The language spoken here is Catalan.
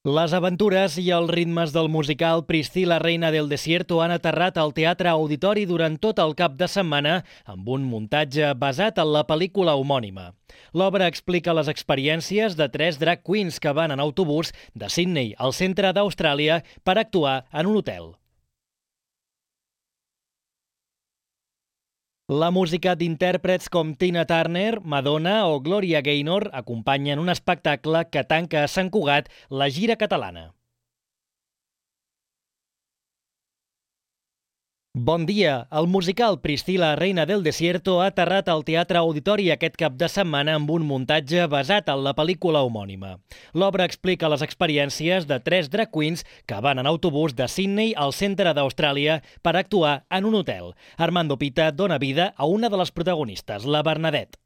Les aventures i els ritmes del musical Priscila, reina del desierto han aterrat al Teatre Auditori durant tot el cap de setmana amb un muntatge basat en la pel·lícula homònima. L'obra explica les experiències de 3 drag queens que van en autobús de Sydney al centre d'Austràlia per actuar en un hotel. La música d'intèrprets com Tina Turner, Madonna o Gloria Gaynor acompanyen un espectacle que tanca a Sant Cugat la gira catalana. Bon dia! El musical Priscila, reina del desierto ha aterrat al Teatre Auditori aquest cap de setmana amb un muntatge basat en la pel·lícula homònima. L'obra explica les experiències de 3 drag queens que van en autobús de Sydney al centre d'Austràlia per actuar en un hotel. Armando Pita dona vida a una de les protagonistes, la Bernadette.